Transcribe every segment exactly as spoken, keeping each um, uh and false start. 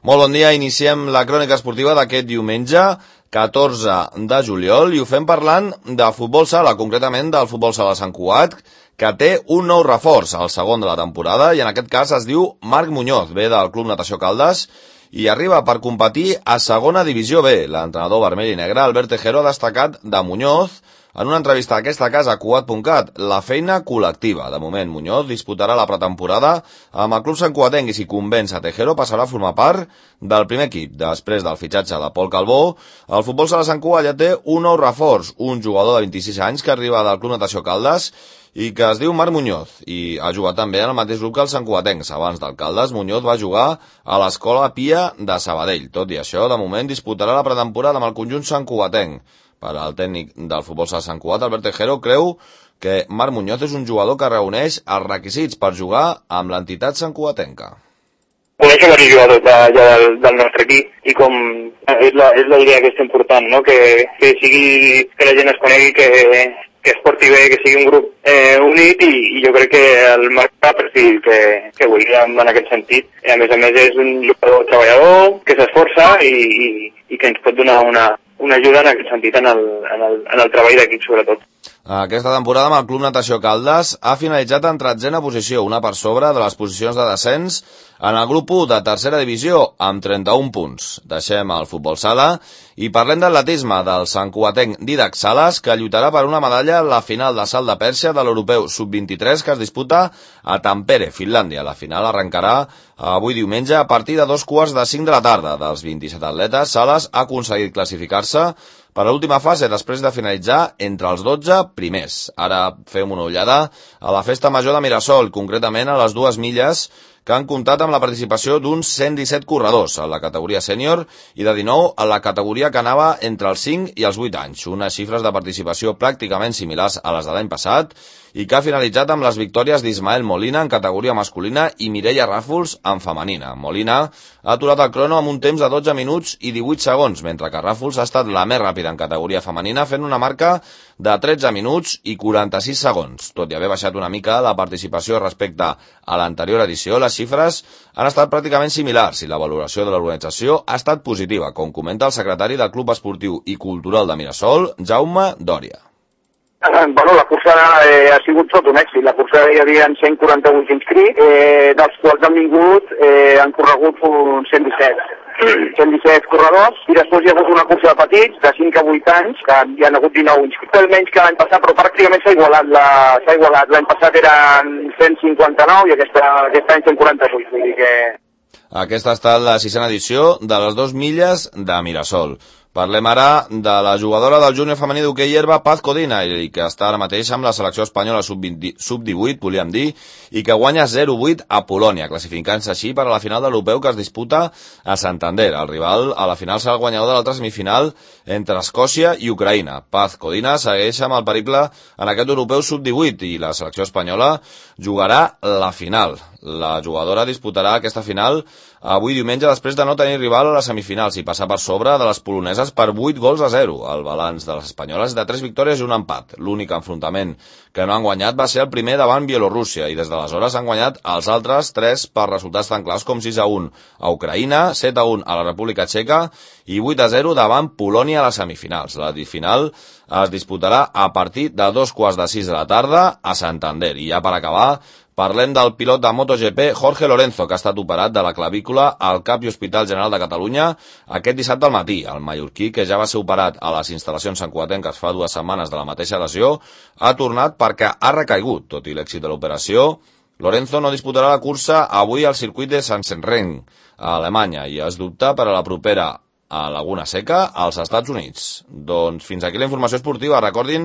Molt bon dia, iniciem la crònica esportiva d'aquest diumenge, catorze de juliol, i ho fem parlant de futbol sala, concretament del futbol sala Sant Cugat, que té un nou reforç, el segon de la temporada, i en aquest cas es diu Marc Muñoz, ve del Club Natació Caldes, i arriba per competir a segona divisió B. L'entrenador vermell i negre, Albert Tejero, ha destacat de Muñoz en una entrevista a aquesta casa a Cugat punt cat, la feina col·lectiva. De moment, Muñoz disputarà la pretemporada amb el club santcugatenc i si convenç a Tejero passarà a formar part del primer equip. Després del fitxatge de Pol Calbó, el futbol sala Sant Cugat ja té un nou reforç, un jugador de vint-i-sis anys que arriba del Club Natació Caldes i que es diu Marc Muñoz, i ha jugat també en el mateix grup que els santcugatencs. Abans del Caldes, Muñoz va jugar a l'Escola Pia de Sabadell. Tot i això, de moment disputarà la pretemporada amb el conjunt santcugatenc. Per al tècnic del futbol sala Sant Cugat, Albert Tejero, creu que Marc Muñoz és un jugador que reuneix els requisits per jugar amb l'entitat santcugatenca. Conèixer diversos jugadors de, ja del, del nostre equip i com és la, és la idea que és important, no? que, que sigui, que la gent es conegui, que, que es porti bé, que sigui un grup eh, unit i, i jo crec que el Marc va per si que, que volíem en aquest sentit. I a més a més és un jugador treballador que s'esforça i, i, i que ens pot donar una, una ajuda en aquest sentit en el, en el, en el treball d'equip sobretot. Aquesta temporada amb el Club Natació Caldes ha finalitzat en tretzena posició, una per sobre de les posicions de descens en el grup u de tercera divisió, amb trenta-un punts. Deixem el futbol sala i parlem d'atletisme del santcugatenc Didac Sales, que lluitarà per una medalla a la final de salt de Pèrsia de l'Europeu sub vint-i-tres que es disputa a Tampere, Finlàndia. La final arrencarà avui diumenge a partir de dos quarts de cinc de la tarda. Dels vint-i-set atletes, Sales ha aconseguit classificar-se per a l'última fase després de finalitzar entre els dotze primers. Ara fem una ullada a la festa major de Mirasol, concretament a les dues milles, que han comptat amb la participació d'uns cent disset corredors a la categoria sènior i de dinou a la categoria que anava entre els cinc i els vuit anys, unes xifres de participació pràcticament similars a les de l'any passat i que ha finalitzat amb les victòries d'Ismael Molina en categoria masculina i Mireia Ràfols en femenina. Molina ha aturat el crono amb un temps de dotze minuts i divuit segons, mentre que Ràfols ha estat la més ràpida en categoria femenina fent una marca de tretze minuts i quaranta-sis segons. Tot i haver baixat una mica la participació respecte a l'anterior edició, les xifres han estat pràcticament similars i la valoració de l'organització ha estat positiva, com comenta el secretari del Club Esportiu i Cultural de Mirasol, Jaume Dòria. Bueno, la cursa eh, ha sigut tot un èxit. La cursa hi havia cent quaranta-vuit inscrits, eh, dels quals han vingut, eh, han corregut uns cent disset. cent disset corredors, i després hi ha hagut una cursa de petits, de cinc a vuit anys, que hi ha hagut dinou inscrits, menys que l'any passat, però pràcticament s'ha igualat. La, s'ha igualat. L'any passat eren cent cinquanta-nou i aquesta, aquest any cent quaranta-vuit. Vull dir que... Aquesta ha estat la sisena edició de les dos milles de Mirasol. Parlem ara de la jugadora del júnior femení d'hoquei herba Paz Codina, i que està ara mateix amb la selecció espanyola sub divuit, volíem dir, i que guanya zero vuit a Polònia, classificant-se així per a la final de l'Europeu que es disputa a Santander. El rival a la final serà el guanyador de l'altra semifinal entre Escòcia i Ucraïna. Paz Codina segueix amb el periple en aquest Europeu sub divuit i la selecció espanyola jugarà la final. La jugadora disputarà aquesta final avui diumenge després de no tenir rival a les semifinals i passar per sobre de les poloneses per vuit gols a zero. El balanç de les espanyoles és de tres victòries i un empat. L'únic enfrontament que no han guanyat va ser el primer davant Bielorússia i des d'aleshores han guanyat els altres tres per resultats tan clars com sis a un a Ucraïna, set a un a la República Txeca i vuit a zero davant Polònia a les semifinals. La final es disputarà a partir de dos quarts de sis de la tarda a Santander. I ja per acabar, parlem del pilot de MotoGP Jorge Lorenzo, que ha estat operat de la clavícula al Cap i Hospital General de Catalunya aquest dissabte al matí. El mallorquí, que ja va ser operat a les instal·lacions santcugatenques fa dues setmanes de la mateixa lesió, ha tornat perquè ha recaigut. Tot i l'èxit de l'operació, Lorenzo no disputarà la cursa avui al circuit de Sachsenring, a Alemanya, i es dubta per a la propera a Laguna Seca, als Estats Units. Doncs fins aquí la informació esportiva. Recordin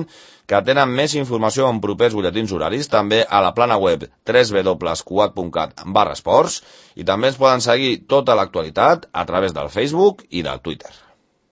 que tenen més informació en propers butlletins horaris, també a la plana web w w w punt cugat punt cat barra esports, i també ens poden seguir tota l'actualitat a través del Facebook i del Twitter.